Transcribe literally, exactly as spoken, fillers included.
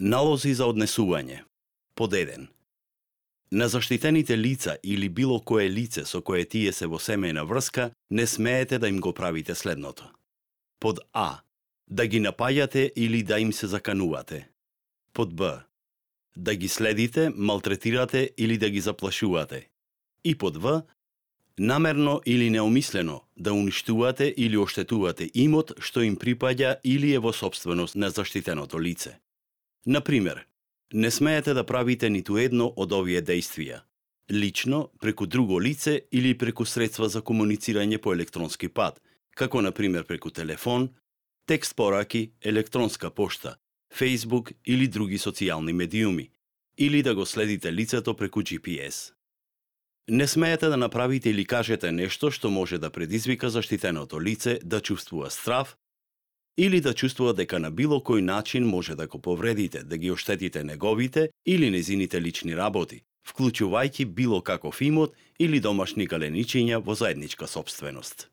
Налози за однесување. Под еден. На заштитените лица или било кое лице со кое тие се во семејна врска, не смеете да им го правите следното. Под А. Да ги напаѓате или да им се заканувате. Под Б. Да ги следите, малтретирате или да ги заплашувате. И под В. Намерно или неумислено да уништувате или оштетувате имот што им припаѓа или е во сопственост на заштитеното лице. Например, не смеете да правите ниту едно од овие дејствија. Лично, преку друго лице или преку средства за комуницирање по електронски пат, како например преку телефон, текст пораки, електронска пошта, Facebook или други социјални медиуми, или да го следите лицето преку G P S. Не смеете да направите или кажете нешто што може да предизвика заштитеното лице да чувствува страв или да чувствува дека на било кој начин може да го повредите, да ги оштетите неговите или незините лични работи, вклучувајќи било каков имот или домашни галеничиња во заедничка сопственост.